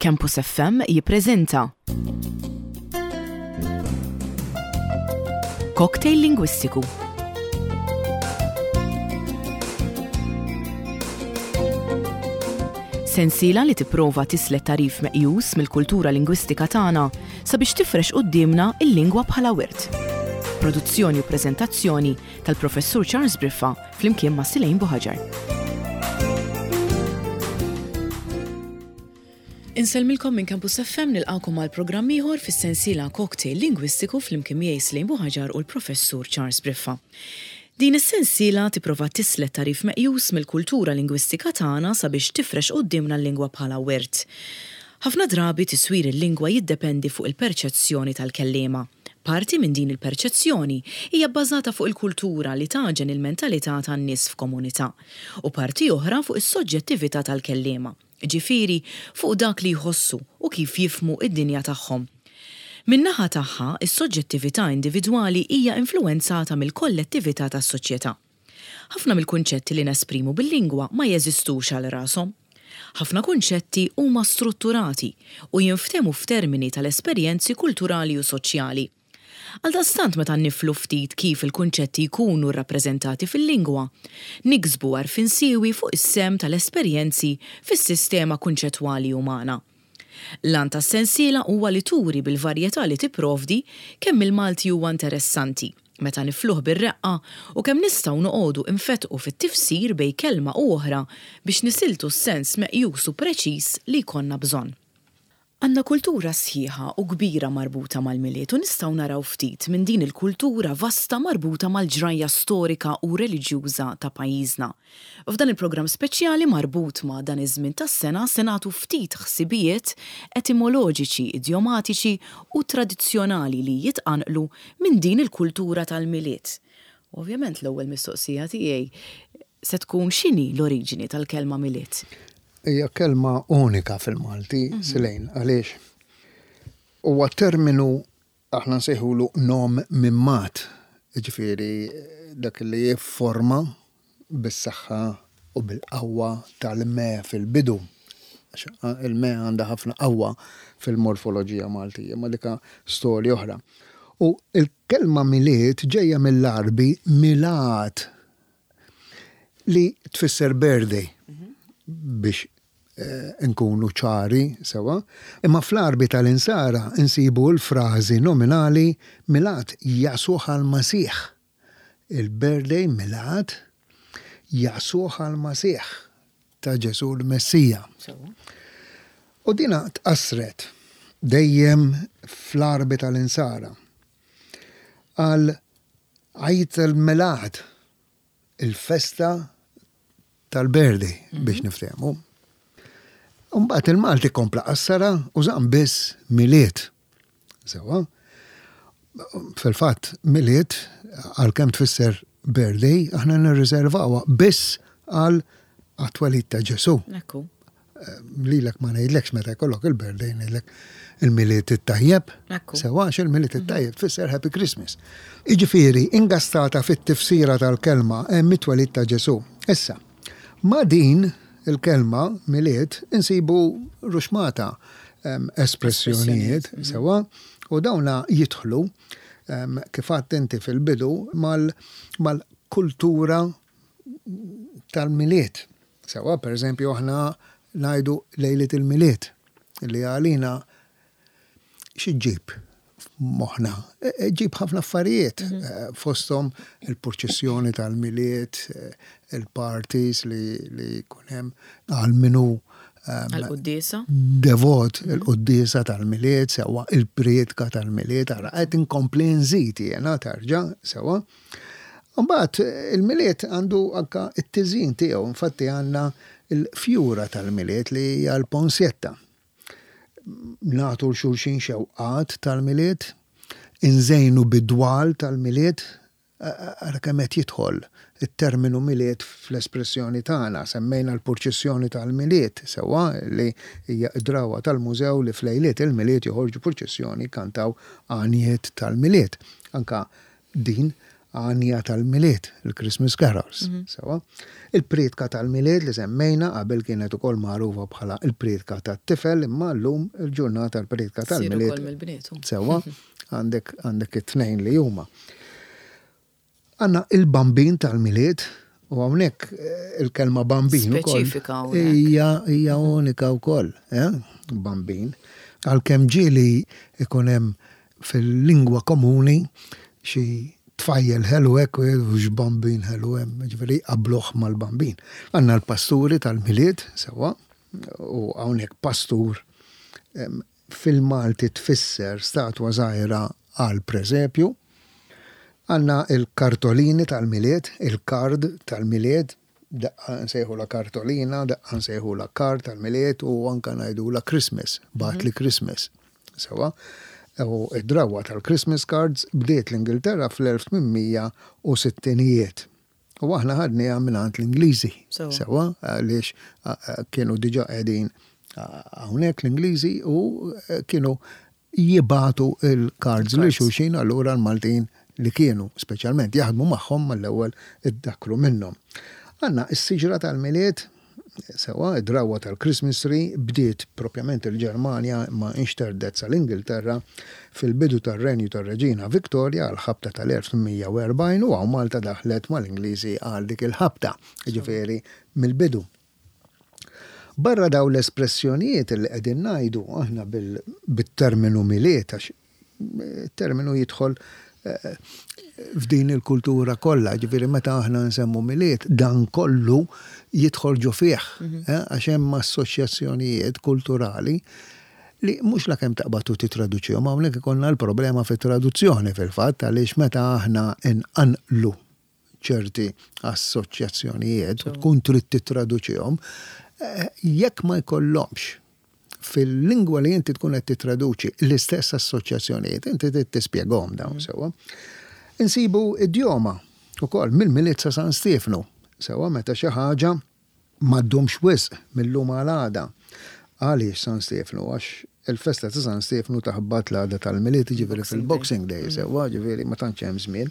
Campus FM jippreżenta Cocktail Lingwistiku. Sensiela li tipprova tislet tagħrif meqjus mill-kultura lingwistika tagħna sabiex tifrex quddiemna l-lingwa bħala wirt. Produzzjoni u preżentazzjoni tal-Professur Charles Briffa flimkien ma' Silejn Buħaġar. Insellmilkom minn Campus FM nilqakom għal programm ieħor fis-sensiela Cocktail Lingwistiku flimkien miegħi Slejn Buħaġar u l-Professur Charles Briffa. Din is-sensiela tipprova tislet tagħrif meqjus mill-kultura lingwistika tagħna sabiex tifrex quddiemna l-lingwa bħala wirt. Ħafna drabi tiswir il-lingwa jiddependi fuq il-perċezzjoni tal-kelliema. Parti minn din il-perċezzjoni hija bbażata fuq il-kultura li tagħġen il-mentalità tan-nies f'komunità, u parti oħra fuq is-soġġettività tal-kelliema, jiġifieri fuq dak li jħossu u kif jifhmu d-dinja tagħhom. Min-naħa tagħha, is-soġġettività individwali hija influwenzata mill-kollettività tas-soċjetà. Ħafna mill-kunċetti li nesprimu bil-lingwa ma jeżistux għal rashom. Ħafna kunċetti huma strutturati u jinftehmu f'termini tal-esperjenzi kulturali u soċjali. Għaldaqstant meta niflu ftit kif il-kunċetti jkunu rrappreżentati fil-lingwa, niksbu għarfien siewi fuq is-sehem tal-esperjenzi fis-sistema kunċettwali umana. L-għan tas-sensiela huwa li turi bil-varjetà li tipprovdi kemm il-Malti huwa interessanti meta nifluh bir-reqqa u kemm nistgħu noqogħdu nfettqu fit-tifsir bejn kelma u oħra biex nisiltu s-sens meqjus u preċiż li jkollna bżonn. Għandna kultura sħiħa u kbira marbuta mal-Milied u nistgħu naraw ftit minn din il-kultura vasta marbuta mal-ġrajja storika u reliġjuża ta' pajjiżna. F'dan il-programm speċjali marbut ma' dan iż-żmien tas-sena se nagħtu ftit ħsibijiet etimoloġiċi, idjomatiċi u tradizzjonali li jitqanqlu minn din il-kultura tal-Milied. Ovvjament l-ewwel mistoqsija tiegħi se tkun x'inhi l-oriġini tal-kelma Milied? Hija kelma unika fil-Malti, Silejn, għaliex huwa terminu aħna nsejħulu nom mimmat, jiġifieri dak li jifforma bis-saħħa u bil-qawwa tal-me fil-bidu. Għax il-me għandha ħafna qawwa fil-morfoloġija Maltija, ma dika storja oħra. U l-kelma Milied ġejja mill-Għarbi milaad li tfisser birthday biex nkunu ċari sewa. Imma fl-Għarbi tal-Insara nsibu l-frażi nominali Milaad Yasuh al-Masih. Il-birthday Milaad Yasuh al-Masih ta' Ġesù l-Messija. U dina tqassret dejjem fl-Għarbi tal-Insara għal Għid il-Milaad, il-festa tal-birthday biex niftehmu. Mbagħad il-Malti kompla qassara u żamm biss Milied. Sewwa. Fil-fatt, Milied għalkemm tfisser birthday, aħna nirriservawha biss għal għat-twelid ta' Ġesù. Ekku. Lilek ma ngħidlekx meta jkollok il-birthday ngħidlek il-Milied it-tajjeb. Sewwa għax il-Milied mhm. it-tajjeb tfisser Happy Christmas. Jiġifieri ingastata fit-tifsira tal-kelma hemm it-twelid ta' Ġesù. Issa, ma' din il-kelma Milied insibu ruxmata espressjonijiet mhm. sewwa u dawna jidħlu kif għedt inti fil-bidu mal-kultura tal-Milied. Sewwa, pereżempju aħna ngħidu lejliet il-Milied, li għalina xi ġġib f'moħħna? E, e, ġib ħafna affarijiet, mhm. eh, fosthom il-purċissjoni tal-Milied, eh, il-parties li, li jkun hemm għal minu ehm, Għal-quddiesa? Devot, mhm. il-quddiesa tal-Milied, sewwa il-prietka tal-Milied, ara qed inkompli nżid jiena tarġa' sewwa. Mbagħad il-Milied għandu anka t-tiżjin tiegħu, infatti għandna l-fjura tal-Milied li hija l-ponsjetta. Nagħtu 'l xulxin xewqat tal-Milied, inżejnu bid-dwal tal-Milied, ara kemm qed jidħol it-terminu Milied fl-espressjoni tagħna. Semmejna l-purċissjoni tal-Milied, sewwa, li hija d-drawwa tal-mużew li f'lejliet il-Milied joħorġu purċissjoni jkantaw għanjiet tal-Milied. Anka Din Għanja tal-Milied, il-Christmas Carols. Sewwa. Il-prietka tal-Milied li semmejna qabel kienet ukoll magħrufa bħala l-prietka tat-tifel imma llum il-ġurnata l-prietka tal-Milied. Ssir ukoll mill-bniet. Sewwa, għandek għandek it-tnejn li huma. Għandna il-Bambin tal-Milied u hawnhekk il-kelma bambin ukoll. Speċifika hawnhekk. Hija hija unika wkoll, eh? Bambin. Għalkemm ġieli ikun hemm fil-lingwa komuni xi tfajjel ħelu hekk u jgħidu x'bambin ħelu hemm, jiġifieri jqabbluh mal-bambin. Għandna l-pasturi tal-Milied, sewwa, u hawnhekk pastur fil-Malti tfisser statwa żgħira għall-presepju. Għandna l-kartolini tal-Milied, il-kard tal-Milied, Daqqa nsejħulha kartolina, daqqa nsejħulha kard tal-Milied u anke ngħidulha Christmas, bagħatli Christmas. Sewwa? U d-drawwa tal-Christmas cards bdiet l-Ingilterra fl-1860ijiet. U aħna ħadniha mingħand l-Ingliżi. Sewwa? Għaliex kienu diġà qegħdin hawnhekk l-Ingliżi u kienu jibagħtu l-cards lil xulxin allura l-Maltin li kienu speċjalment jaħdmu magħhom mal-ewwel iddakkru minnhom. Għandna s-siġra tal-Milied, sewwa, id-drawwa tal-Christmas tree bdiet propjament il-Ġermanja imma inxterdet sal-Ingilterra fil-bidu tar-renju tar-Reġina Victoria għall-ħabta tal-1840 u hawn Malta daħlet mal-Ingliżi għal dik il-ħabta, jiġifieri mill-bidu. Barra dawn l-espressjonijiet li qegħdin ngħidu aħna bit-terminu Milied għax it-terminu jidħol f'din il-kultura kollha, ġifieri meta aħna nsemmu Milied dan kollu jidħol ġo fih għax hemm assoċjazzjonijiet kulturali li mhux lakemm taqbad u tittraduċihom, hawnhekk ikollna l-problema fit-traduzzjoni fil-fatt għaliex meta aħna nqanqlu ċerti assoċjazzjonijiet u tkun trid tittraduċihom, jekk ma jkollhomx fil-lingwa li inti tkun qed tittraduċi l-istess assoċjazzjonijiet, inti trid tispjegahom dawn sewwa. Insibu idjoma wkoll mill-Milied sa San Stiefnu, sewwa meta xi ħaġa Ma ddumx wisq mil-lum għal għada. Għaliex San Stiefnu? Għax il-festa ta' San Stiefnu taħbat l-għada tal-Milied, jiġifieri fil-Boxing Day, sewwa, jiġifieri ma tantx hemm żmien.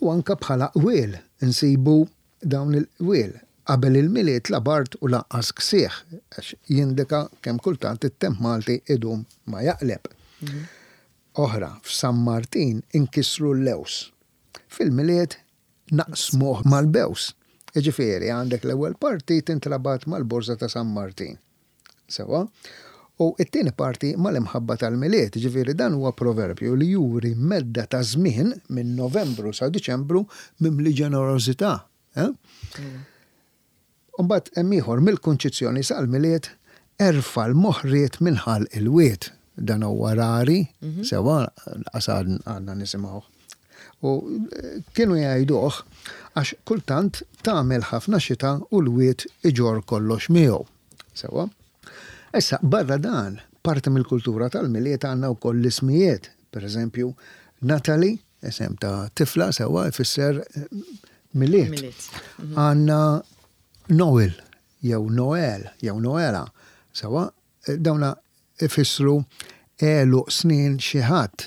U anke bħala qwiel insibu dawn il-qwiel, qabel il-Milied la bard u lanqas ksieħ, għax jindika kemm kultant it-temp Malti idum ma jaqleb. Oħra, f'San Martin inkissru l-lewż. Fil-Milied naqsmuh mal-bews. Jiġifieri għandek l-ewwel parti tintrabat mal-borża ta' San Martin. Sewwa? U t-tieni parti mal-imħabba tal-Milied, jiġifieri dan huwa proverbju li juri medda ta' żmien minn Novembru sa Diċembru mimli ġenerożità. Eh? U mbagħad hemm ieħor, mill-Kunċizzjoni sal-Milied, erfa' l-moħriet minn ħalq il-wied. Dan huwa rari, sewwa, lanqas għadna nisimgħuh. U kienu jgħiduh għax kultant tagħmel ħafna xita u l-wied iġorr kollox miegħu. Sewwa? Issa, barra dan, parti mill-kultura tal-Milied għandna wkoll l-ismijiet. Per eżempju, Natalie, Isem ta' tifla sewwa jfisser Milied. Għandna Noel jew Noel jew Noela sewwa dawna ifissru għeluq snin xi ħadd.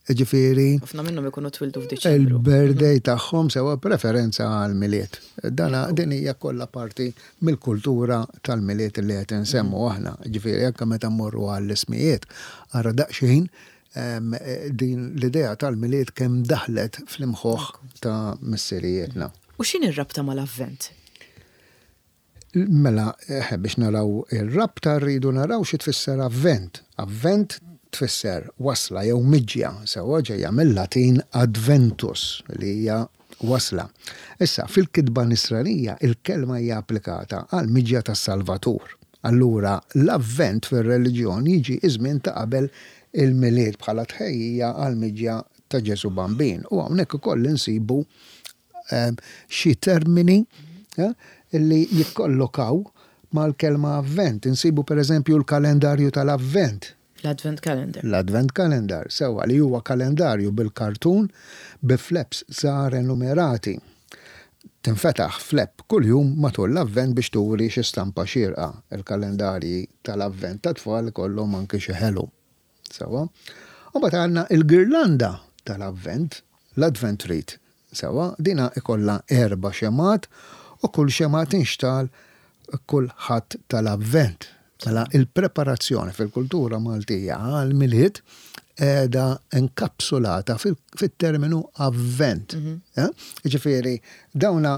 Jiġifieri. Ħafna minnhom ikunu twildu f'Diċembru. Il-birthday tagħhom sewwa b'referenza għall-Milied. Dana din hija kollha parti mill-kultura tal-Milied li qed insemmu aħna. Jiġifieri anke meta mmorru għall-ismijiet ara daqsxejn Din l-idea tal-Milied kemm daħlet fl-imħuħ ta' missirijietna. U x'inhi r-rabta mal-Avvent? Mela, biex naraw ir-rabta rridu naraw xi tfisser Avvent. Avvent tfisser wasla jew miġja, sewwa ġejja mil-Latin adventus li hija wasla. Issa, fil-kitba Nisranija il-kelma hija applikata għall-miġja tas-Salvatur. Allura, l-Avvent fir-reliġjon jiġi ż-żmien ta' qabel il-Milied bħala tħejjija għall-miġja ta' Ġesù Bambin. U hawnhekk ukoll insibu xi termini li jikkollokaw mal-kelma Avvent. Insibu pereżempju l-kalendarju tal-Avvent. L-Advent Calendar. L-Advent Calendar, sewwa, li huwa kalendarju bil-kartun bi flaps żgħar enumerati. Tinfetaħ flap kuljum matul l-Avvent biex turi xi stampa xierqa. Il-kalendarji tal-Avvent tat-tfal ikollhom anki xi ħelu. Sewwa. U mbagħad għandna l-girlanda tal-Avvent. l-Advent Wreath. Sewwa, dina ikollha erba' xemgħat u kull xemgħa tinxtagħal kull Ħadd tal-Avvent. Mela il-preparazzjoni fil-kultura Maltija għall-Milied qiegħda inkapsulata fit-terminu Avvent. Jiġifieri dawna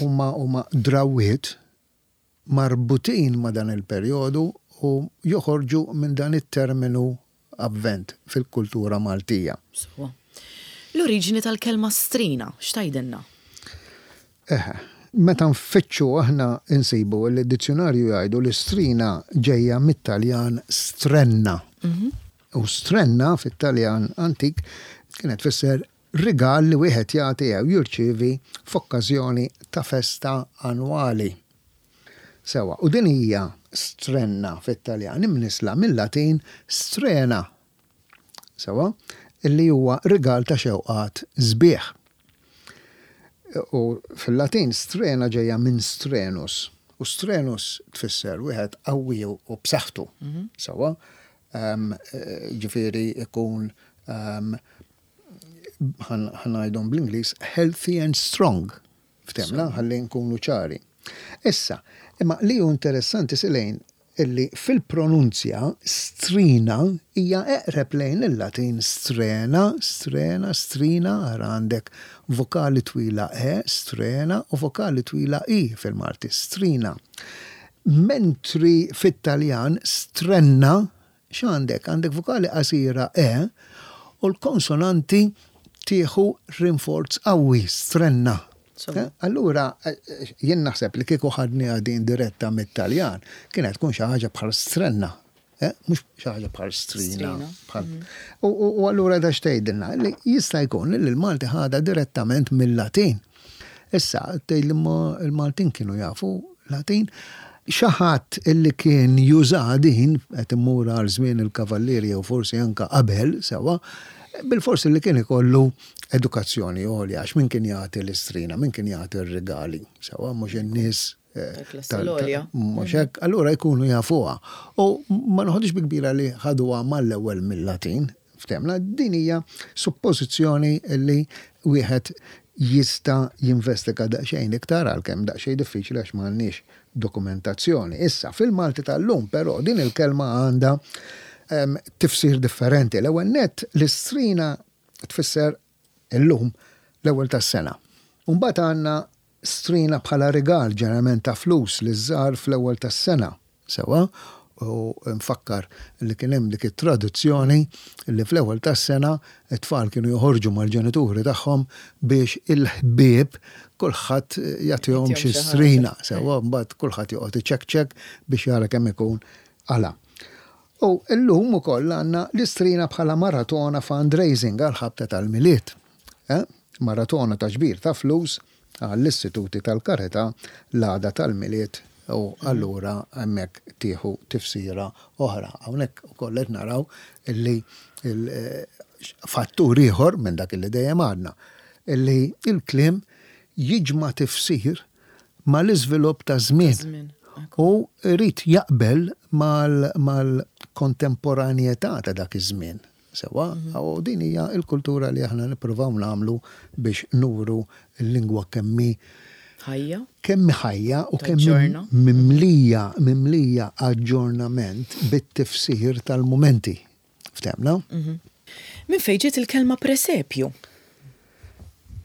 huma huma drawwiet marbutin ma' dan il-perjodu u joħorġu minn dan it-terminu Avvent fil-kultura Maltija. Sewwa. L-oriġini tal-kelma strina, x'tgħidilna? Eħe. Meta nfittxu aħna nsibu li d-dizzjunarju jgħidu li strina ġejja mit-Taljan strenna. U strenna fit-Taljan antik kienet tfisser rigal li wieħed jagħti jew jirċievi f'okkażjoni ta' festa annwali. Sewwa, u din hija strenna fit-Taljan imnissla mil-Latin strena. Sewwa, illi huwa rigal ta' xewqat sbieħ. U fil-Latin strena ġejja minn strenus, u strenus tfisser wieħed qawwi u b'saħħtu. Sewwa, ġifieri ikun ħa ngħidhom bl-Ingliż healthy and strong. Ftemna, ħalli nkunu ċari. Issa, imma li hu interessanti Silejn illi fil-pronunzja strina hija eqreb lejn il-Latin strena, strena, strina, ara għandek vokali twila e, strena, u vokali twila i fil-Malti, strina. Mentri fit-Taljan strenna X'għandek? Għandek vokali qasira e u l-konsonanti tieħu rinforz qawwi, strenna. Allura, jien naħseb li kieku ħadniha din diretta mit-Taljan, kienet tkun xi ħaġa bħal strenna, mhux xi ħaġa bħal strina. U allura da x'tgħidilna? Li jista' jkun li l-Malti ħadha direttament mil-Latin. Issa, tgħidli imma l-Maltin kienu jafu Latin. Xi ħadd illi kien jużaha din, qed immur għal żmien il-Kavallieri jew forsi anke qabel, sewwa, bilfors illi kien ikollu edukazzjoni għolja għax min kien jagħti l-istrina, min kien jagħti r-rigali, sewwa, mhux in-nies Tal-klassi l-għolja. Mhux hekk, allura jkunu jafuha. U ma noħodhiex bi kbira li ħaduha mal-ewwel mil-Latin, Ftehmna, din hija suppożizzjoni li wieħed jista' jinvestiga daqsxejn iktar għalkemm daqsxejn diffiċli għax m'għandniex dokumentazzjoni. Issa, fil-Malti tal-lum però din il-kelma għandha tifsir differenti. L-ewwel nett l-istrina tfisser illum l-ewwel tas-sena. U mbagħad għandna strina bħala rigal ġeneralment ta' flus liż-żgħar fl-ewwel tas-sena. Sewwa, u nfakkar li kien hemm dik it-tradizzjoni li fl-ewwel tas-sena t-tfal kienu joħorġu mal-ġenituri tagħhom biex il-ħbieb kulħadd jagħtihom xi strina, sewwa, mbagħad kulħadd joqgħod iċekċek biex jara kemm ikun qala'. U llum ukoll għandna l-istrina bħala maratona fundraising għall-ħabta tal-Milied. Maratona ta' ġbir ta' flus għall-istituti tal-karità l-għada tal-Milied u allura hemmhekk tieħu tifsira oħra. Hawnhekk ukoll qed naraw illi fattur ieħor minn dak illi dejjem għadna, illi l-kliem jiġma' tifsir mal-iżvilupp taż-żmien u jrid jaqbel mal-kontemporanjetà ta' dak iż-żmien. Sewwa? U din hija l-kultura li aħna nippruvaw nagħmlu biex nuru l-lingwa kemm hi Ħajja. Kemm hi ħajja u kemm hi mimlija, mimlija aġġornament bit-tifsir tal-mumenti. Ftehmna? Minn fejn ġiet il-kelma presepju?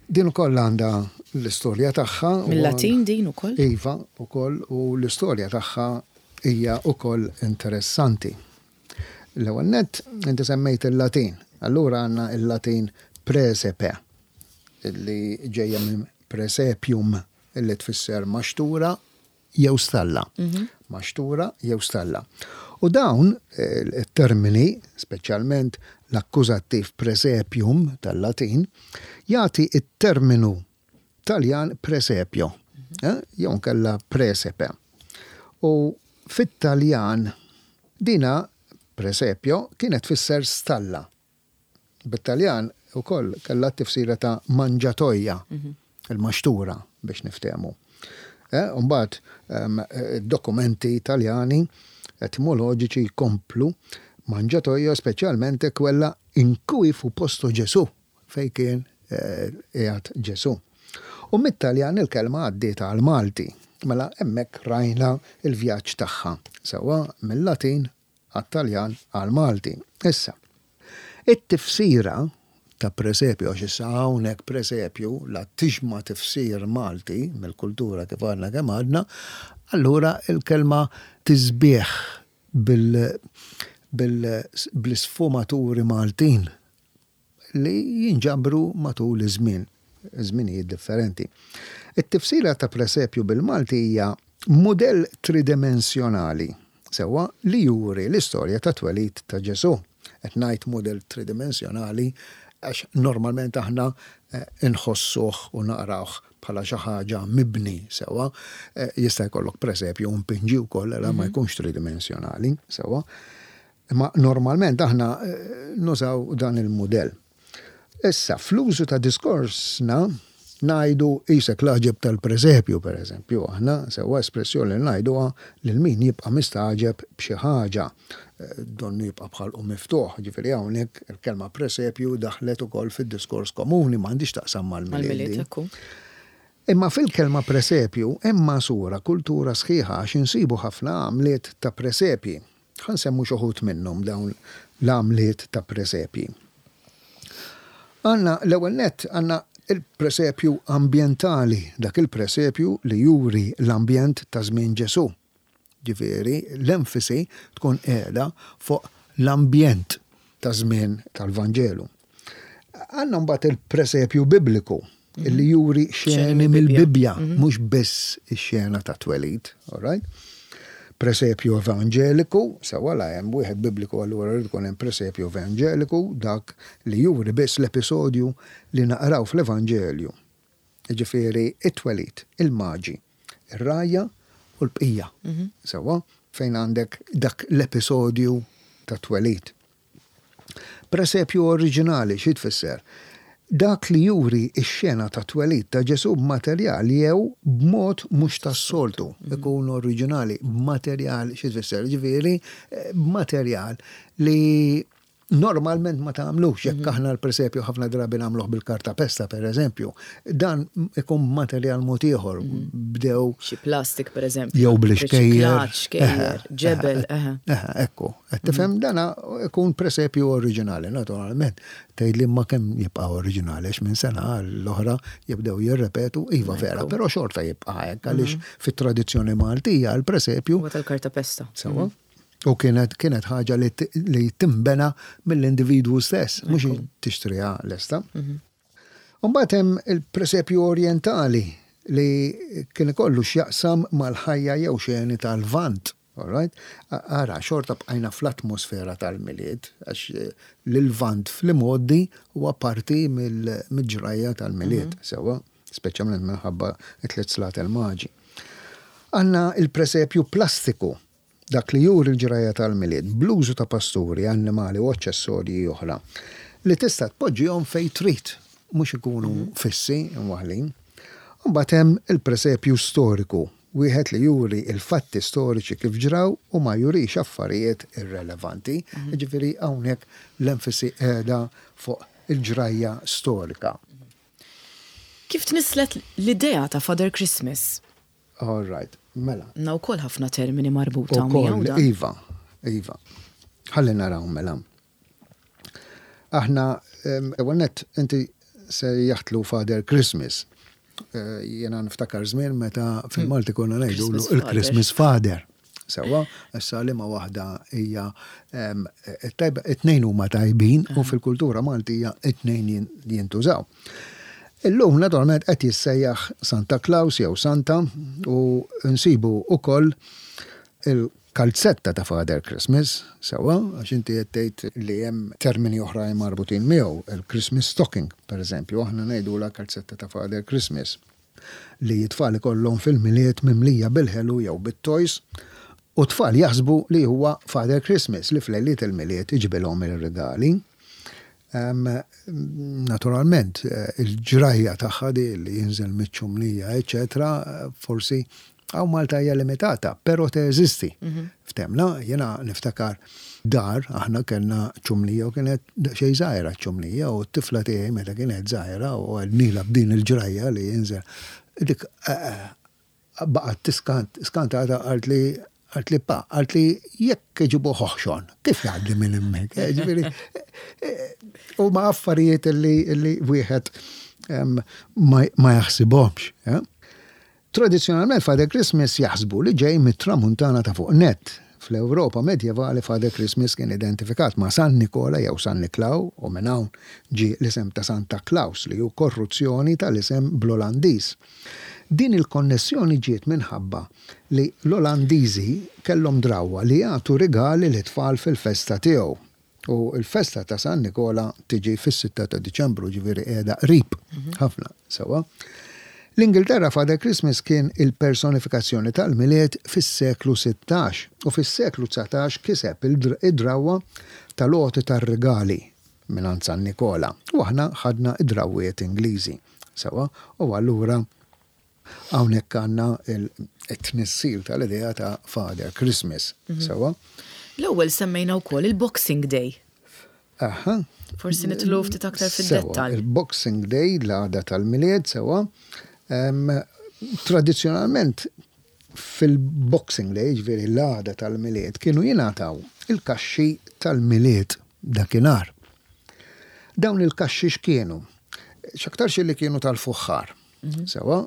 Din ukoll għandha l-istorja tagħha. Mil-Latin din ukoll? Iva, ukoll, u l-istorja tagħha hija ukoll interessanti. L-ewwel nett, inti semmejt il-Latin. Allura għandna il-Latin presepe, li ġejja minn presepium, li tfisser maxtura jew stalla. Maxtura jew stalla. U dawn it-termini, speċjalment l-akkużattiv presepium tal-Latin, jagħti t-terminu Taljan presepio, jew inkella presepe. U fit-Taljan dina presepio kienet tfisser stalla. Bit-Taljan ukoll kellha t-tifsira ta' manġatoja, il-maxtura biex niftehmu. U mbagħad id-dokumenti Taljani etimoloġiċi jkomplu mangiatoia speċjalmente quella in cui fu posto Gesù. fejn kien qiegħed Ġesù. U mit-Taljan il-kelma għaddiet għall-Malti. Mela hemmhekk rajna l-vjaġġ tagħha, sewwa mil-Latin għat-Taljan għall-Malti. Issa, it-tifsira ta' presepju, għax issa hawnhekk presepju la tixma' tifsir Malti mill-kultura kif għadna kemm għadna, allura l-kelma tisbieħ bil, bil, bl-isfumaturi Maltin li jinġabru matul iż-żmien, żminijiet differenti. It-tifsira ta' presepju bil-Malti hija mudell tridimensjonali, sewwa, li juri l-istorja tat-twelid ta' Ġesù. Qed ngħid mudell tridimensjonali għax normalment aħna nħossuh u naqrawh bħala xi ħaġa mibni, sewwa. Jista' jkollok presepju mpinġi wkoll, allura ma jkunx tridimensjonali, sewwa. Imma normalment aħna nużaw dan il-mudell. Issa, fl-użu ta' diskorsna ngħidu qisek l-għaġeb tal-presepju, pereżempju, aħna sewwa espressjoni li ngħiduha lil min jibqa' mistagħġeb b'xi ħaġa, donnu jibqa' b'ħalqu miftuħ. Jiġifieri hawnhekk il-kelma presepju daħlet ukoll fid-diskors komuni, m'għandhiex x'taqsam mal-Milied din. Imma fil-kelma presepju hemm magħsura kultura sħiħa għax insibu ħafna għamliet ta' presepji. Ħa nsemmu x'uħud minnhom dawn l-għamliet ta' presepji. Għandna l-ewwel nett għandna il-presepju ambjentali, dak il-presepju li juri l-ambjent ta' żmien Ġesù. Ġifieri l-enfasi tkun qiegħda fuq l-ambjent ta' żmien tal-Vanġelu. Għandna mbagħad il-presepju bibliku li juri xeni mill-Bibbja, mhux biss ix-xena ta' twelid, all right? Presepju evanġeliku, sewwa la hemm wieħed bibliku allura jrid ikun hemm presepju evanġeliku, dak li juri biss l-episodju li naqraw fl-Evanġelju. Jiġifieri it-twelid, il-maġi, ir-rgħajja u l-bqija. Sewwa, fejn għandek dak l-episodju tat-twelid. Presepju oriġinali xi tfisser? Dak li juri x-xena tat-twelid ta' Ġesù b'materjal jew b'mod mhux tas-soltu. Ikun oriġinali b'materjal xi tfisser? Jiġifieri b'materjal li normalment ma tagħmlux. Jekk aħna l-presepju ħafna drabi nagħmluh bil-kartapesta pereżempju, dan ikun b'materjal mod ieħor. Bdew. Xi plastik pereżempju. Jew bl-ixkejjer. Xkejjer, ġebel, eħe. Eħe, ekku. Qed tifhem? Dana ikun presepju oriġinali, naturalment. Tgħidli imma kemm jibqa' oriġinali għax minn sena għall-oħra jibdew jirrepetu, iva vera, però xorta jibqa' hekk għaliex fit-tradizzjoni Maltija l-presepju. Huwa tal-kartapesta. Sewwa. U kienet kienet ħaġa li li tinbena mill-individwu stess, mhux tixtriha lesta. U mbagħad hemm il-presepju orjentali li kien ikollu x'jaqsam mal-ħajja jew xeni tal-Lvant. All right? Ara, xorta bqajna fl-atmosfera tal-Milied, għax l-Lvant fl-imgħoddi huwa parti mill-ġrajja tal-Milied, sewwa, speċjalment minħabba t-tliet slaten maġi. Għandna l-presepju plastiku, dak li juri l-ġrajja tal-Milied bl-użu ta' pasturi, annimali u aċċessorji oħra li tista' tpoġġihom fejn trid, mhux ikunu fissi mwaħħlin. Imbagħad hemm il-presepju storiku, Wieħed li juri l-fatti storiċi kif ġraw u ma jurix affarijiet irrelevanti. Jiġifieri hawnhekk l-enfasi qiegħda fuq il-ġrajja storika. Kif tnisslet l-idea ta' Father Christmas? All right, mela. Għandna wkoll ħafna termini marbuta miegħu dan. Ukoll, iva, iva. Ħalli naraw mela. Aħna, ewwel nett, inti sejjaħtlu Father Christmas. Jiena niftakar żmien meta fil-Malti konna ngħidulu il-Christmas Father. Sewwa, issa liema waħda hija tajba, it-tnejn huma tajbin u fil-kultura Maltija it-tnejn jintużaw. Illum naturalment qed jissejjaħ Santa Claus jew Santa u nsibu wkoll il Kalzetta ta' Father Christmas, sewwa, għax inti qed tgħid li hemm termini oħrajn marbutin miegħu, il-Christmas stocking, pereżempju, aħna ngħidulha kalzetta ta' Father Christmas, li t-tfal ikollhom fil-Milied mimlija bil-ħelu jew bit-toys, u t-tfal jaħsbu li huwa Father Christmas li f'lejliet il-Milied iġibilhom ir-rigali. Naturalment, il-ġrajja tagħha di li jinżel miċ-ċumnija, eċċetera, forsi. Hawn Malta hija limitata, però teżisti. Ftemna, jiena niftakar dar, aħna kellna ċumnija u kienet daqsxejn żgħira ċ-ċumnija u t-tifla tiegħi meta kienet żgħira u għednilha b'din il-ġrajja li jinżel, dik baqgħet tiskant, skantata qaltli qaltli pa, qaltli jekk iġibuh oħxon, kif jgħaddi minn hemmhekk? Ġifieri huma affarijiet li wieħed ma jaħsibhomx. Tradizzjonalment Father Christmas jaħsbu li ġej mit-Tramuntana ta' fuq nett. Fl-Ewropa medjevali Father Christmas kien identifikat ma' San Nikola jew San Niklaw u minn hawn ġie l-isem ta' Santa Claus li hu korruzzjoni tal-isem bl-Olandiż. Din il-konnessjoni ġiet minħabba li l-Olandiżi kellhom drawwa li jagħtu rigali lit-tfal fil-festa tiegħu. U l-festa ta' San Nikola tiġi fis-sitta ta' Diċembru, ġifieri qiegħda qrib ħafna, sewwa. L-Ingilterra Father Christmas kien il-personifikazzjoni tal-Milied fis-seklu 16 u fis-seklu 19 kiseb id-drawwa tal-għoti tar-rigali mingħand San Nikola u aħna ħadna d-drawwiet Ingliżi, sewwa, u allura Hawnhekk għandna t-tnissil tal-idea ta' Father Christmas, sewwa? L-ewwel semmejna wkoll il-Boxing Day. Aha. Forsi nidħlu ftit aktar fid-dettall. Sewwa, il-Boxing Day, l-għada tal-Milied, sewwa. Tradizzjonalment fil-Boxing Day, jiġifieri l-għada tal-Milied, kienu jingħataw il-kaxxi tal-Milied dakinhar. Dawn il-kaxxi x'kienu? X'aktarx li kienu tal-fuħħar. Sewwa,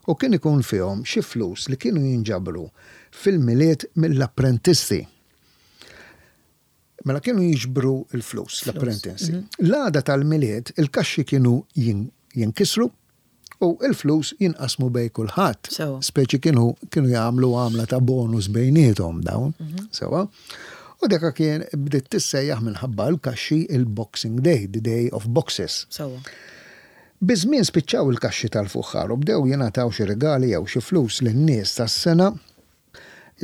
u kien ikun fihom xi flus li kienu jinġabru fil-Milied mill-apprentisti. Mela kienu jiġbru l-flus, l-apprentisti. L-għada tal-Milied il-kaxxi kienu jinkisru u l-flus jinqasmu bejn kulħadd. Speċi kienu kienu jagħmlu għamla ta' bonus bejniethom dawn. Sewwa. U deka kien bdiet tissejjaħ minħabba l-kaxxi il-Boxing Day, the Day of Boxes. Sewwa. Biż-żmien spiċċaw il-kaxxi tal-fuħħar u bdew jingħataw xi rigali jew xi flus lin-nies tas-sengħa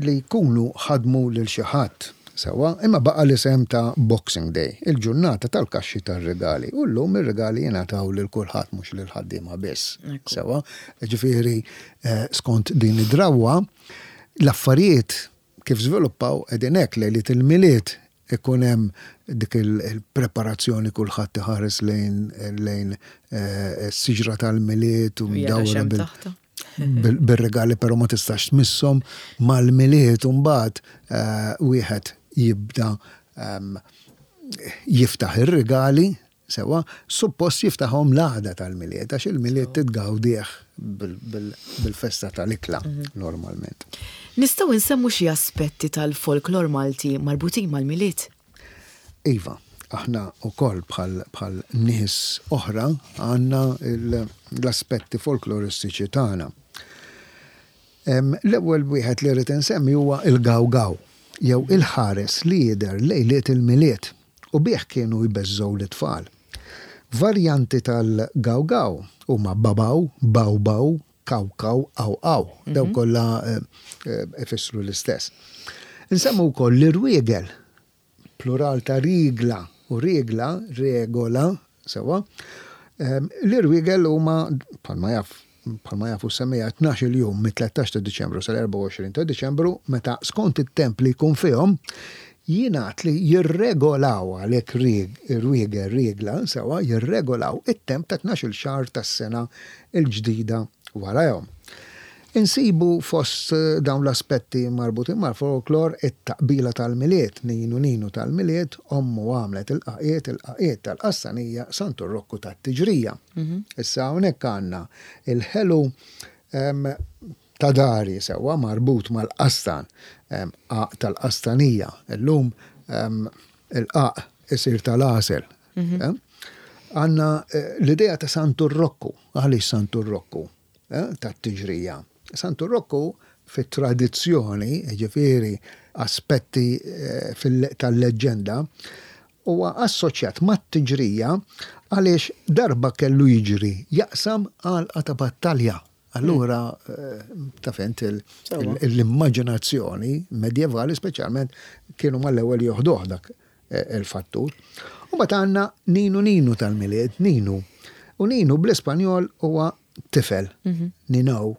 li jkunu ħadmu lil xi ħadd. Sewwa, imma baqa' l-isem ta' Boxing Day, il-ġurnata tal-kaxxi tar-rigali, u llum ir-rigali jingħataw lil kulħadd mhux lill-ħaddiema biss. Sewwa, jiġifieri skont din id-drawwa, l-affarijiet kif żviluppaw qegħdin hekk, lejliet il-Milied ikun hemm dik il-preparazzjoni kulħadd iħares lejn lejn is-siġra tal-Milied u mdawra bil-regali però ma tistax tmisshom mal-Milied u mbagħad wieħed jibda jiftaħ ir-rigali Sewwa, suppost jiftaħhom l-għada tal-Milied, għax il-Milied titgawdih bil-festa tal-ikla normalment. Nistgħu nsemmu xi aspetti tal-folklor Malti marbutin mal-Milied? Iva, aħna wkoll bħal nies oħra għandna l-aspetti folkloristiċi tagħna. L-ewwel wieħed li rrid insemmi huwa l-gawgaw, jew il-ħares li jidher lejliet il-Milied. U bih kienu jbeżżgħu lit-tfal. Varjanti tal-gawgaw huma babaw, bawbaw, kawkaw, awqaw. Dawn kollha ifissru l-istess. Insemmu wkoll l-irwiegel, plural ta' rigla, u rigla, regola, sewwa. L-irwiegel huma, bħalma jaf Bħalma jafu s-semmiegħa, tnax-il jum mit-13 ta' Diċembru sal-24 ta' Diċembru, meta skont it-temp li jkun fihom, jingħad li jirregolaw, għalhekk rwiegel, riegla, sewwa, jirregolaw it-temp ta' tnax-il xahar tas-sena l-ġdida warajhom. Insibu fost dawn l-aspetti marbutin mal-folklor it-taqbila tal-Milied, Ninu Ninu tal-Milied, ommu għamlet il-qaqiet, il-qaqiet tal-qassanija, Santu Rokku tat-tiġrija. Issa hawnhekk għandna il-ħelu ta' dari sewwa marbut mal-qastan, qaq tal-qastanija. Illum il-qaq isir tal-għasel. Għandna l-idea ta' Santu Rokku. Għaliex Santu Rokku? Tat-tiġrija. Santu Rokku fit-tradizzjoni, jiġifieri aspetti tal-leġġenda, Huwa assoċjat mat-tiġrija għaliex darba kellu jiġri jaqsam għalqa ta' battalja. Allura taf int l-immaġinazzjoni medjevali speċjalment kienu mal-ewwel joħduh dak il-fattur. U mbagħad għandna Ninu Ninu tal-Milied, Ninu. U Ninu bl-Ispanjol huwa tifel, Nino.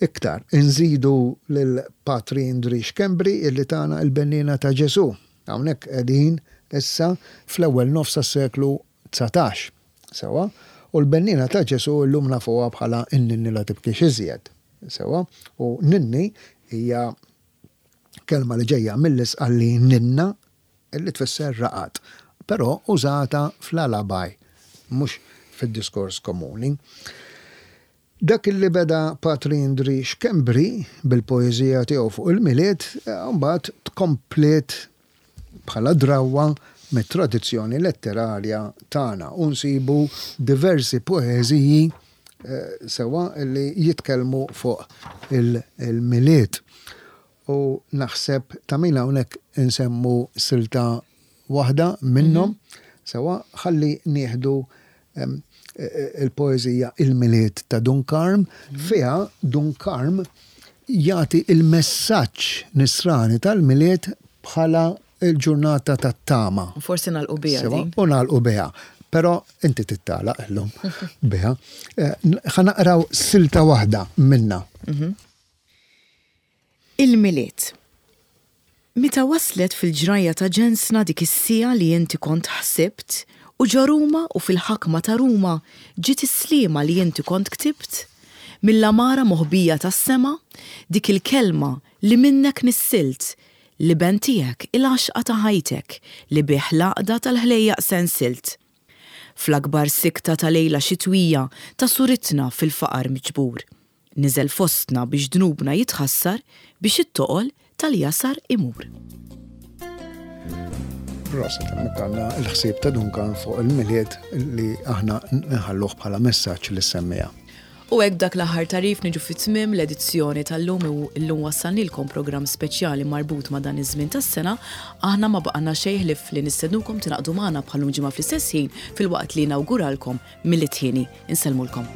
Iktar, inżidu lil Patri Indri Schembri illi tana il-Benniena ta' Ġesù. Hawnhekk qegħdin issa fl-ewwel nofs tas-seklu 19. Sewwa? U l-Benniena ta' Ġesù llum nafuha bħala n-Ninni la tibkix iżjed. Sewwa? U ninni hija kelma li ġejja mill-Isqalli ninna li tfisser raqad, però użata fl-alabaj, mhux fid-diskors komuni. Dak li beda Patri Indri Schembri bil-poeżija tiegħu fuq il-Milied, imbagħad tkompliet bħala drawwa mit-tradizzjoni letterarja tagħna u nsibu diversi poeżiji sewwa li jitkellmu fuq il-Milied. U naħseb ta' min hawnhekk insemmu silta waħda minnhom, sewwa, ħalli nieħdu il-poeżija Il-Milied ta' Dun Karm, fiha Dun Karm jagħti il-messaġġ nisrani tal-Milied bħala l-ġurnata tat-tama. Forsi nagħlqu biha din. U nagħlqu biha. Però inti tittalaq illum biha. Ħa naqraw silta waħda minnha. Il-Milied. Meta waslet fil-ġrajja ta' ġensna dik is-siegħa li inti kont ħsibt, u ġo Ruma u fil-ħakma ta' Ruma ġiet is-sliema li inti kont ktibt, mill-għamara moħbija tas-sema, dik il-kelma li minnek nissilt, l-Iben tiegħek, il-għaxqa ta' ħajtek, li bih l-għaqda tal-ħlejjaq sensilt. Fl-akbar sikta ta' lejla xitwija ta' suritna fil-faqar miġbur. Niżel fostna biex dnubna jitħassar biex it-toqol tal-jasar imur. Proset, hemmhekk għandna l-ħsieb ta' Duncan fuq il-Milied li aħna nħalluh bħala messaġġ lis-semmiegħa. U hekk b'dak l-aħħar tagħrif niġu fi tmiem l-edizzjoni tal-lum u llum wassalnilkom programm speċjali marbut ma' dan iż-żmien tas-sena. Aħna ma baqgħalna xejn ħlief li nistednukom tingħaqdu magħna bħal-lum ġimgħa fl-istess ħin filwaqt li nawguralkom Milied hieni. Insellmulkom.